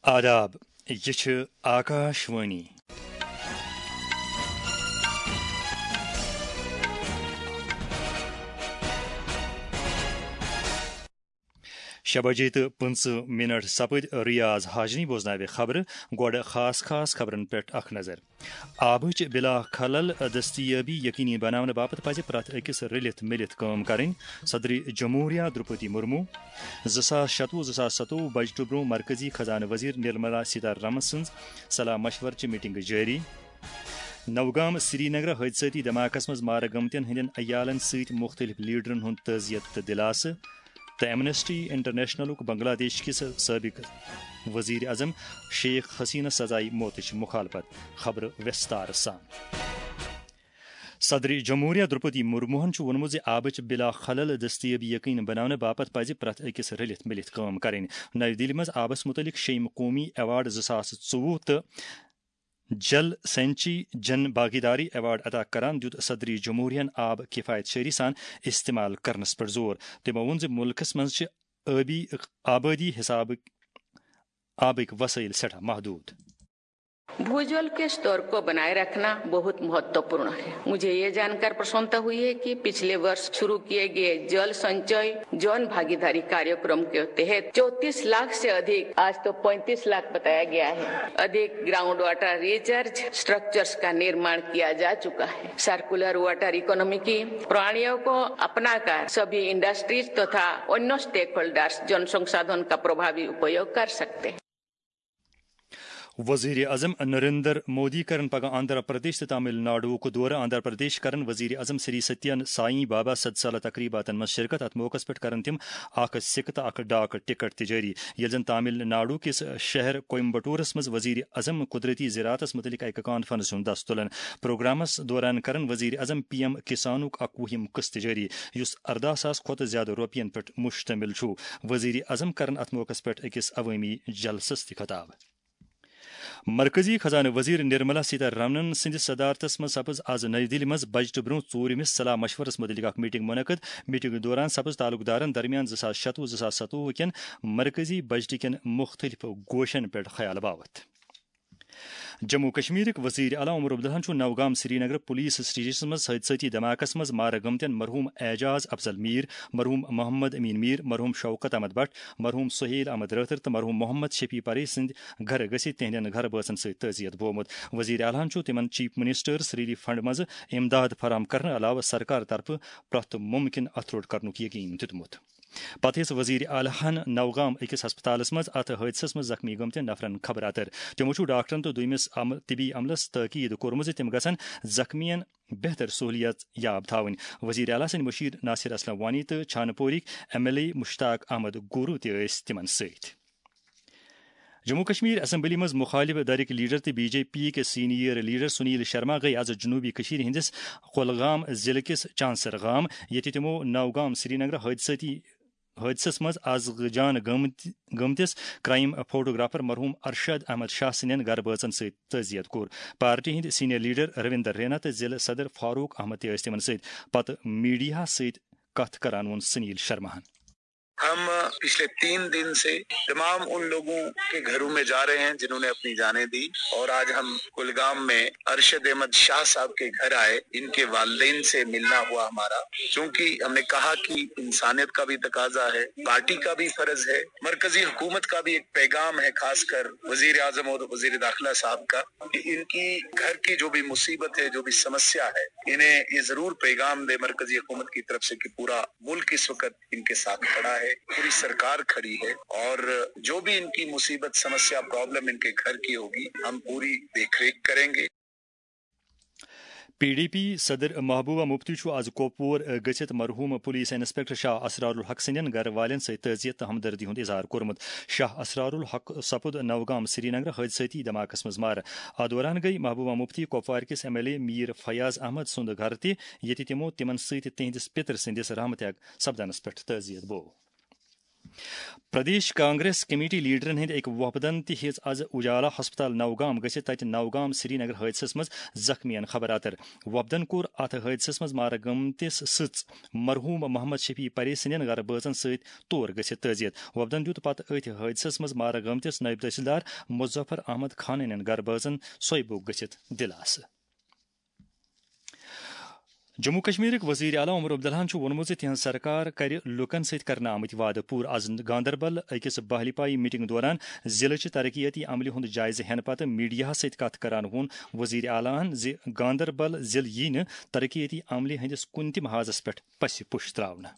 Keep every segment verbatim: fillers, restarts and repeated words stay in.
آداب، یہِ چھِ آکاش وانی۔ شےٚ بجے تہٕ پٕنٛژٕہ منٹ سپٕدۍ۔ ریاض ہاجنی بوزناوِ خبرٕ۔ گۄڈٕ خاص خاص خبرن پٮ۪ٹھ اکھ نظر۔ آبٕچ بلا خلل دستیٲبی یقینی بناونہٕ باپتھ پزِ پرٛٮ۪تھ أکِس رٔلِتھ مِلِتھ کٲم کرٕنۍ، صدر جمہوریہ درٛوپدی مرمو۔ زٕ ساس شَتوُہ زٕ ساس ستووُہ بجٹہٕ برٛونٛہہ مرکزی خزانہٕ وزیر نرملا سیتارامن سٕنٛز صلاح مشورٕ چہِ میٹنگ جٲری۔ نوگام سرینگر حٲدثٲتی دھماکس منٛز مارٕ گٔمتٮ۪ن ہٕنٛدٮ۪ن عیالن سۭتۍ مُختٔلِف لیڈرن ہُنٛد تعزیت تہٕ دِلاسہٕ، تہٕ ایمنسٹی انٹرنیشنلُک بنگلہ دیش کِس سٲبِق وزیر اعظم شیخ حسینہ سزائے موتٕچ مخالفت۔ خبرٕ وِستار سان۔ صدر جمہوریہ درٛوپدی مرموہن چھُ ووٚنمُت زِ آبٕچ بلا خلل دستیٲبی یقین بناونہٕ باپتھ پزِ پرٛٮ۪تھ أکِس رٔلِتھ مِلِتھ کٲم کرٕنۍ۔ نَوِ دِلہِ منٛز آبس مُتعلق شیٚیِم قومی ایوارڈ زٕ ساس ژوٚوُہ تہٕ جل سینچی جن بھاگیداری ایوارڈ عطا کران دیُت صدر جمہوریہن آب کفایت شعری سان استعمال کرنس پٮ۪ٹھ زور۔ تٔمۍ ووٚن زِ مُلکس منٛز چھِ ٲبی آبٲدی حسابہٕ آبٕکۍ وسٲیِل سٮ۪ٹھاہ محدوٗد۔ भूजल के स्तर को बनाए रखना बहुत महत्वपूर्ण है। मुझे ये जानकर प्रसन्नता हुई है कि पिछले वर्ष शुरू किए गए जल संचय जन भागीदारी कार्यक्रम के तहत चौंतीस लाख से अधिक, आज तो पैंतीस लाख बताया गया है, अधिक ग्राउंड वाटर रिचार्ज स्ट्रक्चर्स का निर्माण किया जा चुका है। सर्कुलर वाटर इकोनॉमी की प्रणालियों को अपनाकर सभी इंडस्ट्रीज तथा अन्य स्टेकहोल्डर्स जल संसाधन का प्रभावी उपयोग कर सकते हैं। وزیر اعظم نریندر مودی کرن پگاہ آندھرا پردیش تہٕ تامل ناڈوُک دورٕ۔ آندھرا پردیش کرن وزیر اعظم سری ستین سائی بابا صد سالہ تقریباتن منٛز شرکت۔ اتھ موقعس پٮ۪ٹھ کرن تِم اکھ سکہٕ تہٕ اکھ ڈاک ٹکٹ تہِ جٲری۔ ییٚلہِ زن تامل ناڈو کِس شہر کویمبٹورس منٛز وزیر اعظم قدرتی زراعتس متعلق اکہِ کانفرنس ہُنٛد دس تُلن۔ پروگرامس دوران کرن وزیر اعظم پی ایم کسانُک اکوُہِم قسط جٲری، یُس ارداہ ساس کھۄتہٕ زیادٕ رۄپین پٮ۪ٹھ مشتمل چھُ۔ وزیر اعظم کرن اتھ موقعس پٮ۪ٹھ أکِس عوٲمی جلسس تہِ خطاب۔ مرکزی خزانہٕ وزیر نرملا سیتارامن سٕنٛدِس صدارتس منٛز سپٕز از نَیہِ دِلہِ منٛز بجٹہٕ برٛونٛہہ ژوٗرمِس صلاح مشورس مُتعلق اکھ میٹنگ منعقد۔ میٹنگ دوران سپٕز تعلقدارن درمیان زٕ ساس شَتوُہ زٕ ساس ستووُہ کٮ۪ن مرکزی بجٹہٕ کٮ۪ن مُختٔلِف گوشن پٮ۪ٹھ خیال باوتھ۔ جموں کشمیرٕکۍ وزیر اعلیٰ عمر عبداللہن چھُ نوگام سرینگر پولیس سٹیشنس منٛز حٲدثٲتی دھماکس منٛز مارٕ گٔمتٮ۪ن مرحوم اعجاز افضل میر، مرحوم محمد امین میر، مرحوم شوکت احمد بٹ، مرحوم سہیل احمد رٲتھر تہٕ مرحوم محمد شفیع پرے سٕنٛدۍ گرٕ گٔژھِتھ تِہنٛدٮ۪ن گرٕ بٲژن سۭتۍ تعزیت بومُت۔ وزیر اعلیٰ ہن چھُ تِمن چیف منسٹرس ریلیف فنڈ منٛز امداد فراہم کرنہٕ علاوٕ سرکار طرفہٕ پرٛٮ۪تھ مُمکِن اتھٕ روٚٹ کرنُک یقین دیُتمُت۔ پتہٕ ہیٚژ وزیر اعلیٰ ہن نوگام أکِس ہسپتالس منٛز اتھ حٲدثس منٛز زخمی گٔمتٮ۪ن نفرن خبر اتر۔ تِمو چھُ ڈاکٹرن تہٕ دوٚیمِس عم-، طبی عملس تٲکید کوٚرمُت زِ تِم گژھن زخمین بہتر سہولیات یاب تھاوٕنۍ۔ وزیر اعلیٰ سٕنٛدۍ مُشیر ناصر اسلم وانی تہٕ چھانہٕ پورٕکۍ M L A Mushtaq Ahmad Guroo تہِ ٲسۍ تِمن سۭتۍ۔ جموں کشمیر اسمبلی منٛز مخالف دھڑٕکۍ لیڈر تہٕ بی جے پی کِس سینئر لیڈر سنیل شرما گٔیہِ از جنوبی کشمیر ہٕنٛدِس کولگام ضلعہٕ کِس چانسر گام، ییٚتہِ تِمو نوگام سرینگر حٲدثٲتی حٲدثس منٛز از جان گٔمتۍ-، گٔمتِس کرائم فوٹوگرافر مرحوم ارشد احمد شاہ سٕنٛدٮ۪ن گرٕ بٲژن سۭتۍ تعزیت کوٚر۔ پارٹی ہٕنٛدۍ سینئر لیڈر رویندر رینا تہٕ ضلعہٕ صدر فاروق احمد تہِ ٲسۍ تِمن سۭتۍ۔ پتہٕ میڈیاہس سۭتۍ کتھ کران ووٚن سنیل شرماہن۔ ہم پچھلے تین دن سے تمام ان لوگوں کے گھروں میں جا رہے ہیں جنہوں نے اپنی جانیں دی، اور آج ہم کلگام میں ارشد احمد شاہ صاحب کے گھر آئے، ان کے والدین سے ملنا ہوا ہمارا، کیونکہ ہم نے کہا کہ انسانیت کا بھی تقاضا ہے، پارٹی کا بھی فرض ہے، مرکزی حکومت کا بھی ایک پیغام ہے، خاص کر وزیر اعظم اور وزیر داخلہ صاحب کا، کہ ان کی گھر کی جو بھی مصیبت ہے، جو بھی سمسیا ہے، انہیں یہ ضرور پیغام دے مرکزی حکومت کی طرف سے کہ پورا ملک اس وقت ان کے ساتھ کھڑا ہے، پوری سرکار کھڑی ہے، اور جو بھی ان کی مصیبت، سمسیا، پرابلم ان کے گھر کی ہوگی، ہم پوری دیکھ ریکھ کریں گے۔ پی ڈی پی صدر محبوبہ مفتی چھُ از کۄپوور گٔژھِتھ مرحوم پولیس انسپکٹر شاہ اسرار الحق سٕنٛدٮ۪ن گرٕ والٮ۪ن سۭتۍ تعزیت تہٕ ہمدردی ہُنٛد اظہار کوٚرمُت۔ شاہ اسرار الحق سپُد نوگام سرینگر حٲدثٲتی دھماکس منٛز مارٕ۔ اتھ دوران گٔیہِ محبوبہ مفتی کۄپوارِ کِس M L A Mir Fayaz Ahmad سُنٛد گرٕ تہِ، ییٚتہِ تِمو تِمن سۭتۍ تِہنٛدِس پِتر سٕنٛدِس رحم تیگ سپدنس پٮ۪ٹھ تعزیت بوو۔ پردیش کانگریس کمیٹی لیڈرن ہٕنٛدۍ أکۍ وفدن تہِ ہیٚژ از اجالا ہسپتال نوگام گٔژھِتھ تتہِ نوگام سرینگر حٲدثس منٛز زخمیَن خبر اتر۔ وفدن کوٚر اتھ حٲدثس منٛز مارٕ گٔمتِس سٕژ مرحوم محمد شفیع پرے سٕنٛدٮ۪ن گرٕ بٲژن سۭتۍ تور گٔژھِتھ تعزیت۔ وفدن دیُت پتہٕ أتھۍ حٲدثس منٛز مارٕ گٔمتِس نٲیِب تحصیلدار مظفر احمد خانٕنٮ۪ن گرٕ بٲژن سویبُک گٔژھِتھ دِلاسہٕ۔ جموں کشمیرٕکۍ وزیر اعلیٰ عمر عبداللہَن چھُ ووٚنمُت زِ تِہنٛز سرکار کرِ لوٗکَن سۭتۍ کرنہٕ آمٕتۍ وعدٕ پوٗرٕ۔ از گاندربل أکِس بحالی پایی میٹنگ دوران ضلعہٕ چہِ ترقیتی عملہِ ہُنٛد جائزٕ ہٮ۪نہٕ پتہٕ میڈیاہَس سۭتۍ کتھ کران ووٚن وزیر اعلیٰ ہَن زِ گاندربل ضلعہٕ یی نہٕ ترقیتی عملہِ ہٕنٛدِس کُنہِ تہِ محاذس پٮ۪ٹھ پسہِ پُش تراونہٕ۔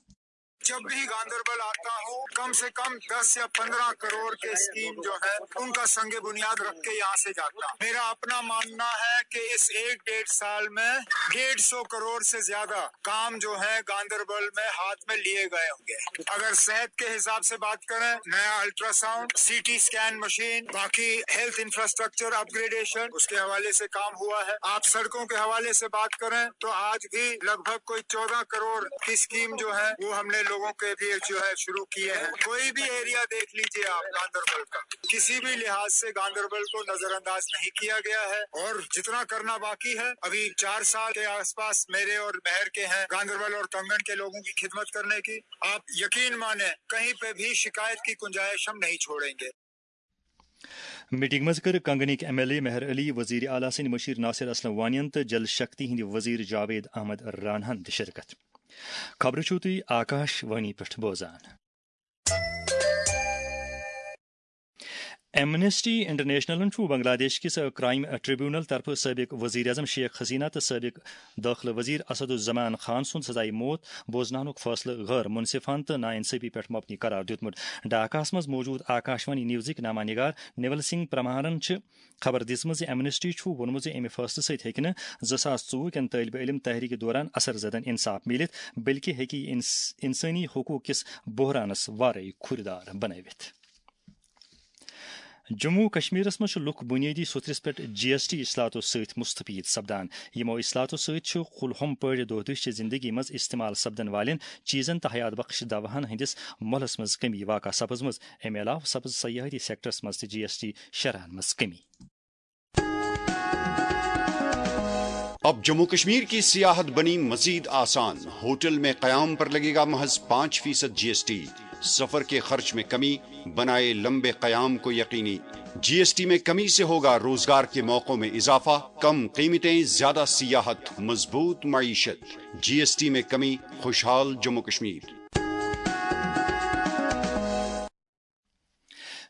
جب بھی گاندربل آتا ہوں، کم سے کم دس یا پندرہ کروڑ کے اسکیم جو ہے، ان کا संग बुनियाद रख के यहाँ से जाता हूँ। मेरा अपना मानना है कि इस एक डेढ़ साल में डेढ़ सौ करोड़ से ज्यादा काम जो है गांधरबल में हाथ में लिए गए होंगे। अगर सेहत के हिसाब से बात करें, नया अल्ट्रासाउंड, सीटी स्कैन मशीन, बाकी हेल्थ इंफ्रास्ट्रक्चर अपग्रेडेशन, उसके हवाले से काम हुआ है। आप सड़कों के हवाले से बात करें तो आज भी लगभग कोई चौदह करोड़ की स्कीम जो है, वो हमने लोगों के लिए जो है शुरू किए हैं। कोई भी एरिया देख लीजिए आप गांधरबल का, किसी भी लिहाज से गांधरबल को नजरअंदाज नहीं किया गया है। और जितना करना बाकी है, अभी चार साल के आसपास मेरे और महर के हैं गांधरबल और कंगन के लोगों की खिदमत करने की। आप यकीन माने, कहीं पे भी शिकायत की गुंजाइश हम नहीं छोड़ेंगे। میٹنگ منٛز کٔر کنگنٕکۍ M L A Mehr Ali, وزیر اعلیٰ سٕنٛدۍ مشیر ناصر اسلم وانین تہٕ جل شکتی ہٕنٛدۍ وزیر جاوید احمد راناہن تہِ شرکت۔ خبرٕ چھِو تُہۍ آکاش وانی پٮ۪ٹھ بوزان۔ ایمنسٹی انٹرنیشنلن چھُ بنگلہ دیش کِس کرائم ٹریبونل طرفہٕ سٲبق وزیر اعظم شیخ حسینہ تہٕ سٲبق دٲخلہٕ وزیر اسد الزمان خان سُنٛد سزائے موت بوزناونُک فٲصلہٕ غٲر منصفانہٕ تہٕ ناانصٲفی پٮ۪ٹھ مبنی قرار دیُتمُت۔ ڈھاکاہَس منٛز موجود آکاشوانی نیوزٕکۍ نامہ نگار نیول سنگھ پرمہارن چھِ خبر دِژمٕژ زِ ایمنسٹی چھُ ووٚنمُت زِ اَمہِ فٲصلہٕ سۭتۍ ہیٚکہِ نہٕ زٕ ساس ژوٚوُہ کٮ۪ن طٲلبہِ علم تحریٖکہِ دوران اثر زدن انصاف میٖلِتھ، بلکہِ ہیٚکہِ یہِ انس-، انسٲنی حقوٗق کِس بحرانس وارے کھُرۍ دار بنٲوِتھ۔ جموں و کشمیرس منٛز چھِ لُکھ بنیٲدی سوٚتھرِس پٮ۪ٹھ جی ایس ٹی اصلاحاتو سۭتۍ مستفید سپدان۔ یِمو اصلاحاتو سۭتۍ چھُ کُلہُم پٲٹھۍ دۄہ دِش چہِ زندگی منٛز استعمال سپدن والٮ۪ن چیزن تہٕ حیات بخش دواہن ہٕنٛدِس مۄلس منٛز کمی واقع سپٕزمٕژ۔ امہِ علاوٕ سپٕز سیاحتی سیکٹرس منٛز تہِ جی ایس ٹی شرحن منٛز کمی۔ اب جموں کشمیر کی سیاحت بنی مزید آسان، ہوٹل میں قیام پر لگے گا محض پانچ فیصد جی ایس ٹی، سفر کے خرچ میں کمی، بنائے لمبے قیام کو یقینی۔ جی ایس ٹی میں کمی سے ہوگا روزگار کے موقعوں میں اضافہ، کم قیمتیں، زیادہ سیاحت، مضبوط معیشت۔ جی ایس ٹی میں کمی، خوشحال جموں کشمیر۔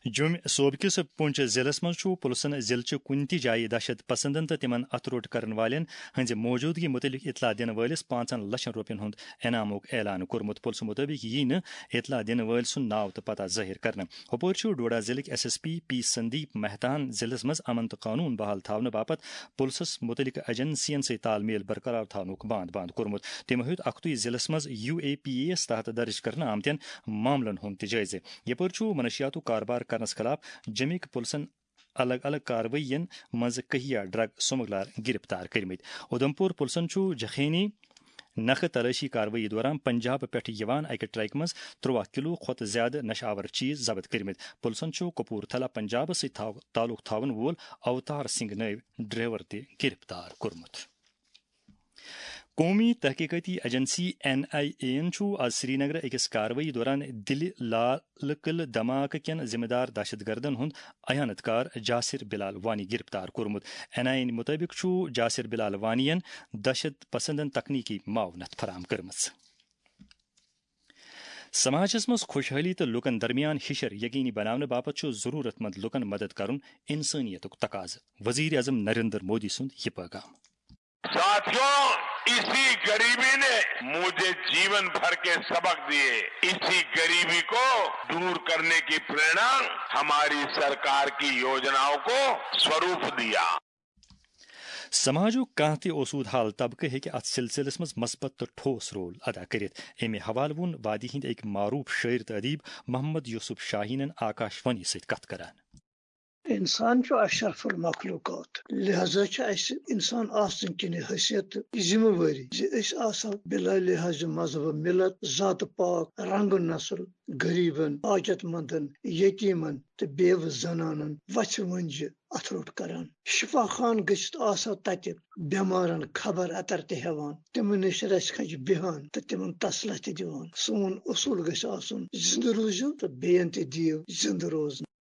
جوٚمۍ صوبہٕ کِس پُنچ ضلعس منٛز چھُ پُلسن ضلعہٕ چہِ کُنہِ تہِ جایہِ دہشت پسندن تہٕ تِمن اتھٕ روٚٹ کرن والٮ۪ن ہٕنٛزِ موجودگی مُتعلق اطلاع دِنہٕ وٲلِس پانٛژن لچھن رۄپین ہُنٛد انعامُک اعلان کوٚرمُت۔ پُلسہٕ مُطٲبِق یِیہِ نہٕ اطلاع دِنہٕ وٲلۍ سُنٛد ناو تہٕ پتہ ظٲہِر کرنہٕ۔ ہُپٲرۍ چھُ ڈوڈا ضلعٕکۍ S S P P Sandeep مہتاہن ضلعس منٛز امن تہٕ قونوٗن بحال تھاونہٕ باپتھ پُلسس مُتعلقہٕ ایجنسین سۭتۍ تال میل برقرار تھاونُک باند باند کوٚرمُت۔ تٔمۍ ہیوٚت اکھتُے ضلعس منٛز یو اے پی اے یس تحت درٕج کرنہٕ آمتٮ۪ن معاملن ہُنٛد تہِ جٲیزٕ۔ یپٲرۍ چھُ منشیاتُک کاربار کرنس خلاف جمِکۍ پُلسن الگ الگ کاروٲیین منٛز کہیا ڈرگ سمگلر گرفتار کٔرمٕتۍ۔ اُدھمپور پُلسن چھُ جخینی نکھٕ تلٲشی کاروٲیی دوران پنجاب پٮ۪ٹھ یِوان اکہِ ٹرکہِ منٛز ترٛواہ کلو کھۄتہٕ زیادٕ نشہٕ آور چیز ضبط کٔرمٕتۍ۔ پُلسن چھُ کپورتھلا پنجابس سۭتۍ تھاو-، تعلق تھاون وول اوتار سنگھ نٲوۍ ڈرائیور تہِ گرفتار کوٚرمُت۔ قومی تحقیقاتی ایجنسی این آئی اے یَن چھُ آز سرینگرٕ أکِس کاروٲیی دوران دِلہِ لال قلعہٕ دھماکہٕ کٮ۪ن ذمہٕ دار دہشت گردن ہُنٛد احانت کار جاسر بلال وانی گرفتار کوٚرمُت۔ این آئی اے یَن مُطٲبِق چھُ جاسر بلال وانی یَن دہشت پسندن تکنیکی معاونت فراہم کٔرمٕژ۔ سماجس منٛز خوشحٲلی تہٕ لوٗکن درمیان ہِشر یقینی بناونہٕ باپتھ چھُ ضروٗرت مند لوٗکن مدد کرُن انسٲنیتُک تقاضہٕ۔ وزیر اعظم نریندر مودی سُنٛد یہِ پیغام۔ साथियों, इसी गरीबी ने मुझे जीवन भर के सबक दिए। इसी गरीबी को दूर करने की प्रेरणा हमारी सरकार की योजनाओं को स्वरूप दिया। سماجُک کانٛہہ تہِ اوسوٗد حال طبقہٕ ہیٚکہِ اَتھ سلسلس منٛز مثبت تہٕ ٹھوس رول ادا کٔرِتھ۔ اَمہِ حوالہٕ ووٚن وادی ہٕنٛدۍ أکۍ معروٗف شٲعر تہٕ ادیب محمد یوسف شاہیٖنن آکاش وانی سۭتۍ کتھ کران۔ انسان چھُ اشرف المخلوقات، لہذا چھُ اسہِ انسان آسنہٕ کِنہِ حیثیت تہٕ ذمہٕ وٲری زِ أسۍ آسو بلا لحاظ مذہب، ملت، ذات پاک، رنگ نسل، غریبن، حاجت مندن، یتیمن تہٕ بیوٕ زنانن وژھِ وٲنجہِ اتھٕ روٚٹ کران۔ شفا خان گٔژھِتھ آسو تتہِ بیمارن خبر اتر تہِ ہیوان، تِمن نِش رژھِ کھنٛجہِ بیہان تہٕ تِمن تسلہ تہِ دِوان۔ سون اصوٗل گژھِ آسُن، زندٕ روٗزِو تہٕ بیٚین تہِ دِیِو زندٕ روزنہٕ۔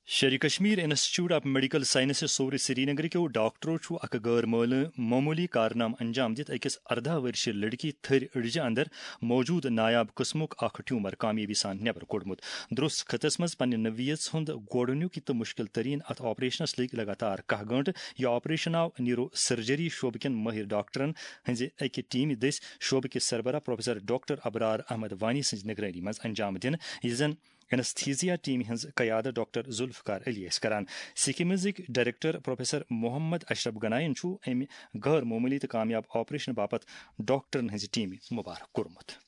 Sher Kashmir institute of medical sciences Soura سرینگرٕکیو ڈاکٹرو چھُ اکھ غٲر مٲلہِ-، معموٗلی کارنامہٕ انجام دِتھ أکِس ارداہ ؤرشہِ لڑکی تھٔرۍ أڈجہِ اندر موجود نایاب قٕسمُک اکھ ٹیومر کامیٲبی سان نٮ۪بر کوٚڑمُت۔ درست خطس منٛز پننہِ نوعیت ہُنٛد گۄڈٕنیُک تہٕ مشکل ترین اتھ آپریشنس لٔگۍ لگاتار کاہ گٲنٛٹہٕ۔ یہِ آپریشن آو نیورو سرجری شعبہٕ کٮ۪ن مٲہر ڈاکٹرن ہٕنٛزِ اکہِ ٹیمہِ دٔسۍ شعبہٕ کِس سربراہ پروفیسر ڈاکٹر ابرار احمد وانی سٕنٛزِ نگرٲنی منٛز انجام دِنہٕ، یُس زن انستھیزیا ٹیمہِ ہٕنٛز قیادت ڈاکٹر ذوالفقار علی ٲسۍ کران۔ سکمزٕکۍ ڈائریکٹر پروفیسر محمد اشرف گناین چھُ امہِ غٲر معموٗلی تہٕ کامیاب آپریشن باپتھ ڈاکٹرن ہٕنٛزِ ٹیمہِ مبارک کوٚرمُت۔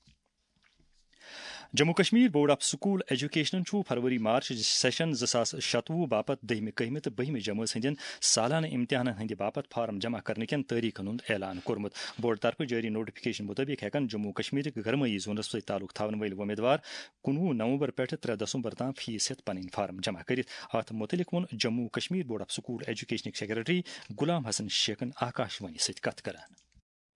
Jammu Kashmir board of school ایجوکیشنن چھُ فروری مارچ سیشن زٕ ساس شتوُہ باپتھ دٔہمہِ، کٔہمہِ تہٕ بٔہمہِ جمٲژ ہٕنٛدٮ۪ن سالانہٕ امتحانن ہٕنٛدِ باپتھ فارم جمع کرنہٕ کٮ۪ن تٲریخن ہُنٛد اعلان کوٚرمُت۔ بورڈ طرفہٕ جٲری نوٹیفکیشن مطٲبق ہٮ۪کن جموں کشمیرٕکۍ گرمٲیی زونس سۭتۍ تعلق تھاون وٲلۍ وۄمیدوار کُنوُہ نومبر پٮ۪ٹھ ترٛےٚ دسمبر تام فیس ہٮ۪تھ پنٕنۍ فارم جمع کٔرِتھ۔ اتھ متعلق ووٚن Jammu Kashmir board of school ایجوکیشنٕکۍ سیکرٹری غلام حسن شیخن آکاش وانی سۭتۍ کتھ کران۔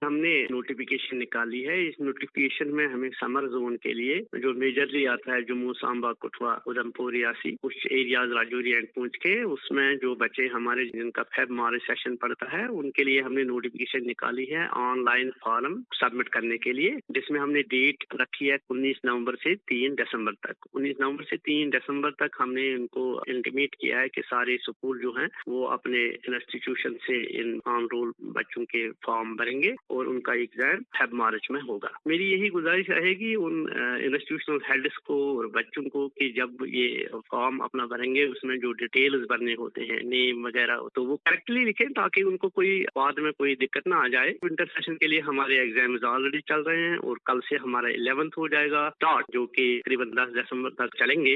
ہم نے نوٹیفکیشن نکالی ہے۔ اس نوٹیفکیشن میں ہمیں سمر زون کے لیے جو میجرلی آتا ہے جموں، سانبا، کٹھوا، ادھمپور، ریاسی، کچھ ایریاز راجوری اینڈ پونچھ کے، اس میں جو بچے ہمارے جن کا فیب مارچ سیشن پڑتا ہے، ان کے لیے ہم نے نوٹیفکیشن نکالی ہے آن لائن فارم سبمٹ کرنے کے لیے، جس میں ہم نے ڈیٹ رکھی ہے انیس نومبر سے تین دسمبر تک۔ انیس نومبر سے تین دسمبر تک ہم نے ان کو انٹیمیٹ کیا ہے کہ سارے اسکول جو ہیں وہ اپنے انسٹیٹیوشن سے ان آن رول بچوں کے فارم بھریں گے اور ان کا ایگزام فیب مارچ میں ہوگا۔ میری یہی گزارش رہے گی ان، آ، انسٹیٹیوشنل ہیڈس کو اور بچوں کو کہ جب یہ فارم اپنا بھریں گے، اس میں جو ڈیٹیلز بھرنے ہوتے ہیں، نیم وغیرہ، تو وہ کریکٹلی لکھیں تاکہ ان کو کوئی بعد میں کوئی دقت نہ آ جائے۔ ونٹر سیشن کے لیے ہمارے ایگزامز آلریڈی چل رہے ہیں اور کل سے ہمارا الیونتھ ہو جائے گا اسٹارٹ، جو کہ تقریباً دس دسمبر تک چلیں گے۔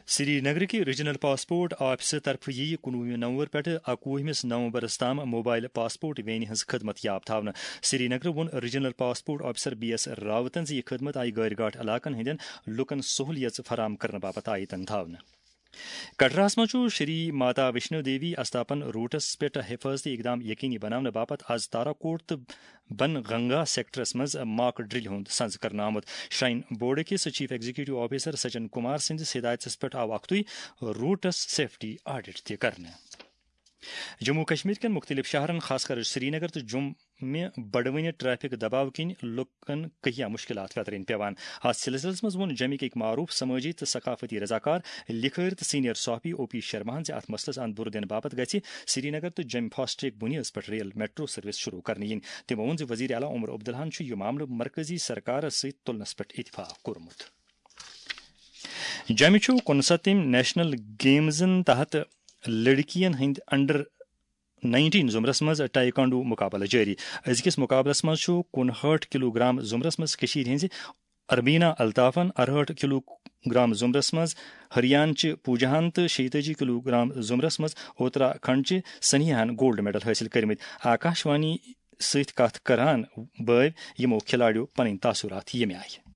سری نگر کہِ ریجنل پاسپورٹ آفسہٕ طرفہٕ یِیہِ کُنوُہمہِ نومبر پٮ۪ٹھٕ اکوُہمِس نومبرس تام موبائل پاسپورٹ وینہِ ہٕنٛز خدمت یاب تھاونہٕ۔ سری نگر ووٚن regional passport officer B S راوتن زِ یہِ خدمت آیہِ غٲرۍ گاٹھ علاقن ہٕنٛدٮ۪ن لوٗکن سہوٗلیژ فراہم کرنہٕ باپتھ آیہِ تن تھاونہٕ۔ کٹراہس منٛز چھُ شری ماتا ویشنو دیوی استاپن روٹس پٮ۪ٹھ حفاظتی اقدام یقینی بناونہٕ باپتھ از تاراکوٹ تہٕ بن گنگا سیکٹرس منٛز ماک ڈرل ہُنٛد سنز کرنہٕ آمُت۔ شراین بورڈ کِس chief executive officer Sachin Kumar سٕنٛدِس ہدایتس پٮ۪ٹھ آو اکھتُے روٹس سیفٹی آڈٹ تہِ کرنہٕ۔ جموں کشمیر کٮ۪ن مُختٔلِف شہرن، خاص کر سرینگر تہٕ جوٚم، مےٚ بڑوٕنہِ ٹریفک دباو کِنۍ لُکن کہیا مشکلات ویترٕنۍ پیوان۔ اتھ سلسلس منٛز ووٚن جمہِ کِکۍ معروف سمٲجی تہٕ ثقافتی رضاکار، لکھٲرۍ تہٕ سینئر صحافی او پی شرماہن زِ اتھ مسلس اند بُرٕ دِنہٕ باپتھ گژھِ سرینگر تہٕ جمہِ فاسٹ ٹریک بُنیٲدس پٮ۪ٹھ ریل میٹرو سروس شروع کرنہٕ یِنۍ۔ تٔمۍ ووٚن زِ وزیر اعلیٰ عمر عبداللہن چھُ یہِ معاملہٕ مرکزی سرکارس سۭتۍ تُلنس پٮ۪ٹھ اتفاق کوٚرمُت۔ جمہِ چھُ کُنسَتتِم نیشنل گیمزن تحت لڑکین ہٕنٛدۍ انڈر نائنٹین زمرس منٛز ٹائیکانڈو مقابلہٕ جٲری۔ أزکِس مقابلس منٛز چھُ کُنہٲٹھ کلو گرام زمرس منٛز کٔشیٖرِ ہٕنٛزِ اربینا الطافن، ارہٲٹھ کلو گرام زمرس منٛز ہریانچہِ پوجاہن تہٕ شیٚیہِ تٲجی کلو گرام زمرس منٛز اتراکھنڈچہِ سنیہاہن گولڈ میڈل حٲصِل کٔرمٕتۍ۔ آکاش وانی سۭتۍ کتھ کران بٲوۍ یِمو کھلاڑیو پنٕنۍ تاثرات ییٚمہِ آیہِ۔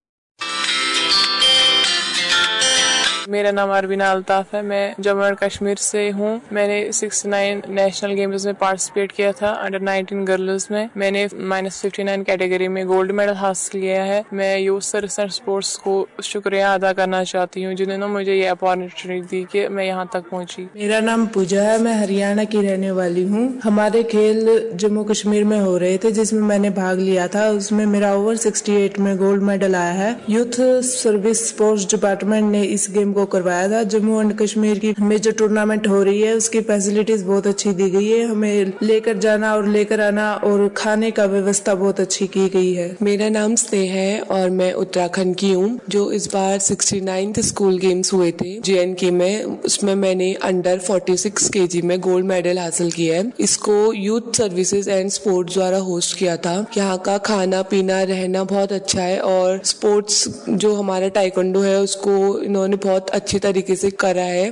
میرا نام اربینا الطاف ہے، میں جموں اینڈ کشمیر سے ہوں۔ میں نے سکسٹی نائن نیشنل گیمز میں پارٹیسپیٹ کیا تھا، انڈر نائنٹین گرلز میں۔ میں نے مائنس ففٹی نائن کیٹیگری میں گولڈ میڈل حاصل کیا ہے۔ میں یوتھ سروس اینڈ اسپورٹس کو شکریہ ادا کرنا چاہتی ہوں، جنہوں نے مجھے یہ اپارچونیٹی دی کہ میں یہاں تک پہنچی۔ میرا نام پوجا ہے، میں ہریانہ کی رہنے والی ہوں۔ ہمارے کھیل جموں کشمیر میں ہو رہے تھے، جس میں میں نے بھاگ لیا تھا، اس میں میرا اوور سکسٹی ایٹ میں گولڈ میڈل آیا ہے۔ یوتھ سروس اسپورٹس ڈپارٹمنٹ نے اس گیم کو کروایا تھا۔ جموں اینڈ کشمیر کی میجر ٹورنامنٹ ہو رہی ہے، اس کی فیسلٹیز بہت اچھی دی گئی ہے۔ ہمیں لے کر جانا اور لے کر آنا اور کھانے کا ویوستھا بہت اچھی کی گئی ہے۔ میرا نام سنیہا ہے اور میں اتراکھنڈ کی ہوں۔ جو اس بار سکسٹی نائنتھ اسکول گیمز ہوئے تھے جے اینڈ کے میں، اس میں میں نے انڈر فورٹی سکس کے جی میں گولڈ میڈل حاصل کیا ہے۔ اس کو یوتھ سروسز اینڈ اسپورٹس دوارا ہوسٹ کیا تھا۔ یہاں کا کھانا پینا، رہنا بہت اچھا ہے اور اسپورٹس جو ہمارا ٹائیکانڈو ہے، اس کو انہوں نے بہت अच्छे तरीके से करा है।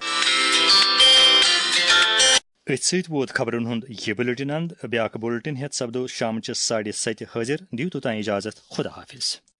أتھۍ سۭتۍ ووت خبرن ہُنٛد یہِ بُلٹن اند۔ بیاکھ بُلٹن ہٮ۪تھ سپدو شامچہِ ساڑِ ستہِ حٲضِر۔ دِیِو توٚتام اجازت، خدا حافظ۔